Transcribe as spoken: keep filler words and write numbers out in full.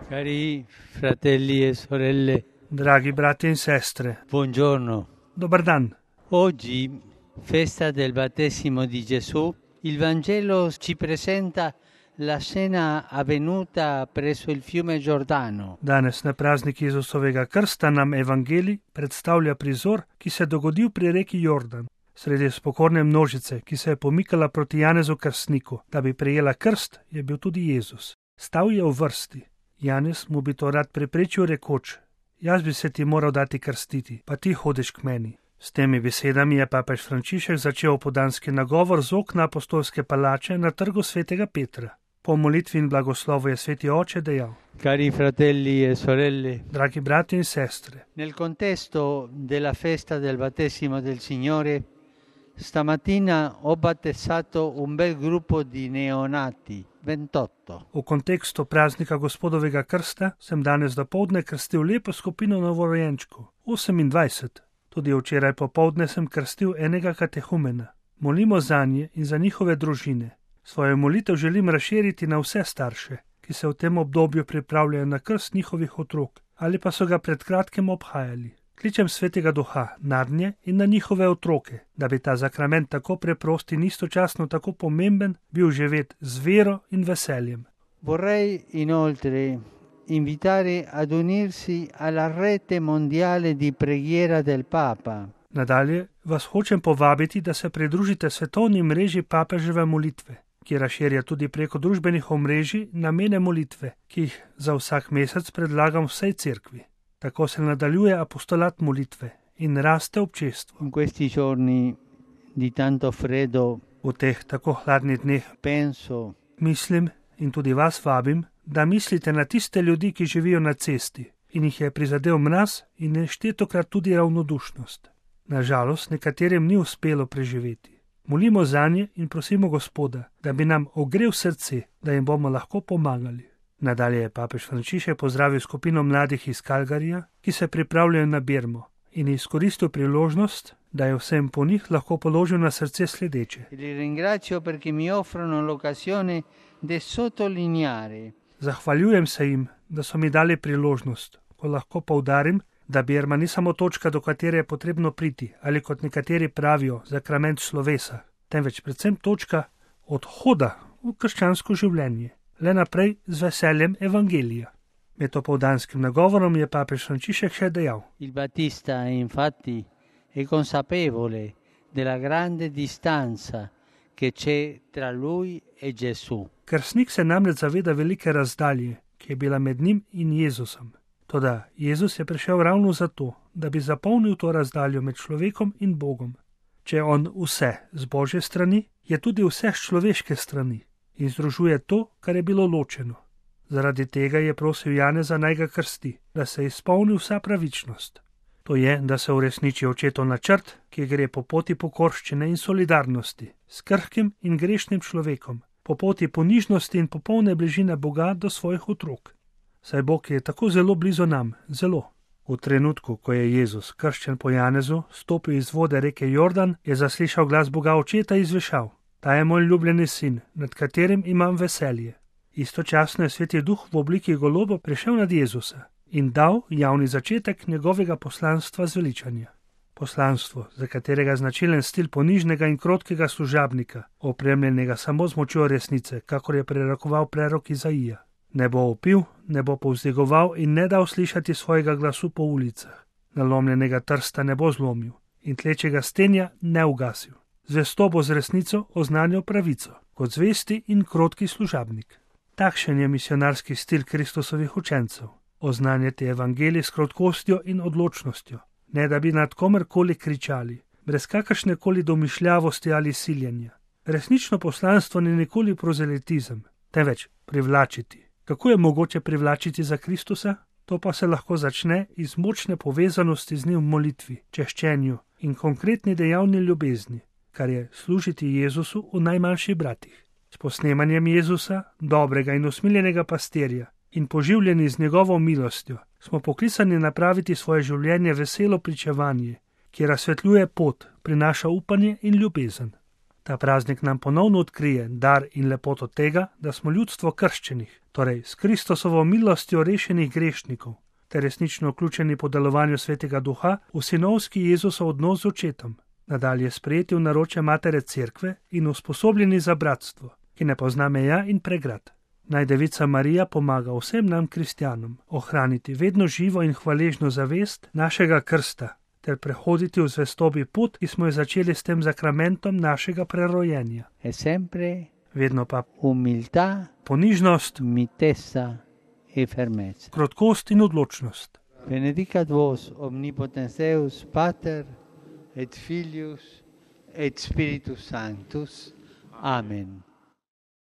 Cari fratelli e sorelle, Draghi brati e sestre, buongiorno. dobar dan. Oggi, festa del battesimo di Gesù, il Vangelo ci presenta la scena avvenuta presso il fiume Giordano. Danes na praznik Jezusovega krsta nam evangelij predstavlja prizor, ki se je dogodil pri reki Jordan, sredi spokorne množice, ki se je pomikala proti Janezu krstniku. Da bi prejela krst, je bil tudi Jezus. Stal je v vrsti. Janez mu bi to rad preprečil rekoč: jaz bi se ti moral dati krstiti, pa ti hodiš k meni. S temi besedami je papež Frančišek začel opoldanski nagovor z okna apostolske palače na trgu svetega Petra. Po molitvi in blagoslovu je sveti oče dejal: Cari fratelli e sorelle, dragi brati in sestre, nel contesto della festa del battesimo del Signore, stamattina ho battezzato un bel gruppo di neonati, ventotto. v kontekstu praznika gospodovega krsta sem danes dopoldne krstil lepo skupino novorojenčkov, osemindvajset. Tudi včeraj popoldne sem krstil enega katehumena. Molimo zanje in za njihove družine. Svojo molitev želim razširiti na vse starše, ki se v tem obdobju pripravljajo na krst njihovih otrok ali pa so ga pred kratkim obhajali. Kličem svetega duha nadnje in na njihove otroke, da bi ta sakrament tako preprost in istočasno tako pomemben bil živet z vero in veseljem. Vorrei inoltre invitare ad unirsi alla rete mondiale di preghiera del Papa. Nadalje vas hočem povabiti, da se pridružite svetovni mreži papeževe molitve, ki razširja tudi preko družbenih omrežij namene molitve, ki jih za vsak mesec predlagam vsej cerkvi. Tako se nadaljuje apostolat molitve in raste občestvo. In questi giorni di tanto freddo V teh tako hladnih dneh penso mislim in tudi vas vabim, da mislite na tiste ljudi, ki živijo na cesti in jih je prizadel mraz in neštetokrat tudi ravnodušnost. Nažalost, nekaterim ni uspelo preživeti. Molimo zanje in prosimo Gospoda, da bi nam ogrel srce, da jim bomo lahko pomagali. Nadalje je papež Frančišek pozdravil skupino mladih iz Calgaryja, ki se pripravljajo na Birmo, in izkoristil priložnost, da je vsem po njih lahko položil na srce sledeče. li ringrazio perché mi offrono l'occasione di sottolineare Zahvaljujem se jim, da so mi dali priložnost, ko lahko poudarim, da Birma ni samo točka, do katere je potrebno priti, ali kot nekateri pravijo, sakrament slovesa, temveč predvsem točka odhoda v krščansko življenje, le naprej z veseljem evangelija. Med opoldanskim nagovorom je papež Frančišek še dejal: Il Battista infatti è consapevole della grande distanza che c'è tra lui e Gesù. krstnik se namreč zaveda velike razdalje, ki je bila med njim in Jezusom. Toda Jezus je prišel ravno zato, da bi zapolnil to razdaljo med človekom in Bogom. Če je on vse z Božje strani, je tudi vse z človeške strani in združuje to, kar je bilo ločeno. Zaradi tega je prosil Janeza naj ga krsti, da se izpolni vsa pravičnost. To je, da se uresniči očetov načrt, ki gre po poti pokorščine in solidarnosti s krhkim in grešnim človekom, po poti ponižnosti in popolne bližine Boga do svojih otrok. Saj Bog je tako zelo blizu nam, zelo. V trenutku, ko je Jezus, krščen po Janezu, stopil iz vode reke Jordan, je zaslišal glas Boga Očeta izvešal: ta je moj ljubljeni sin, nad katerim imam veselje. Istočasno je sveti duh v obliki goloba prišel nad Jezusa in dal javni začetek njegovega poslanstva zveličanja. Poslanstvo, za katerega značilen stil ponižnega in krotkega služabnika, opremljenega samo z močjo resnice, kakor je prerokoval prerok Izaija. Ne bo opil, ne bo povzdigoval in ne dal slišati svojega glasu po ulicah. Nalomljenega trsta ne bo zlomil in tlečega stenja ne ugasil. Zvesto bo z resnico oznanjal pravico, kot zvesti in krotki služabnik. Takšen je misionarski stil Kristusovih učencev. Oznanjati evangelij s krotkostjo in odločnostjo, ne da bi nad komerkoli kričali, brez kakršne koli domišljavosti ali siljenja. Resnično poslanstvo ni nikoli prozelitizem, temveč privlačiti. Kako je mogoče privlačiti za Kristusa? To pa se lahko začne iz močne povezanosti z njim v molitvi, češčenju in konkretni dejavni ljubezni, kar je služiti Jezusu v najmanjših bratih. S posnemanjem Jezusa, dobrega in usmiljenega pastirja, in poživljeni z njegovo milostjo, smo poklicani napraviti svoje življenje veselo pričevanje, ki razsvetljuje pot, prinaša upanje in ljubezen. Ta praznik nam ponovno odkrije dar in lepoto tega, da smo ljudstvo krščenih, torej s Kristosovo milostjo rešenih grešnikov, ter resnično vključeni po delovanju Svetega Duha v sinovski Jezusov odnos z očetom, nadalje sprejeti v naročje Matere Cerkve in usposobljeni za bratstvo, ki ne pozna meja in pregrad. Naj Devica Marija pomaga vsem nam kristjanom ohraniti vedno živo in hvaležno zavest našega krsta, ter prehoditi v zvestobi pot, ki smo jo začeli s tem sakramentom našega prerojenja. E sempre Vedno pa umiltà, ponižnost, mitezza e fermezza. krotkost in odločnost. Benedicat vos omnipotens Deus, Pater et Filius et Spiritus Sanctus. Amen.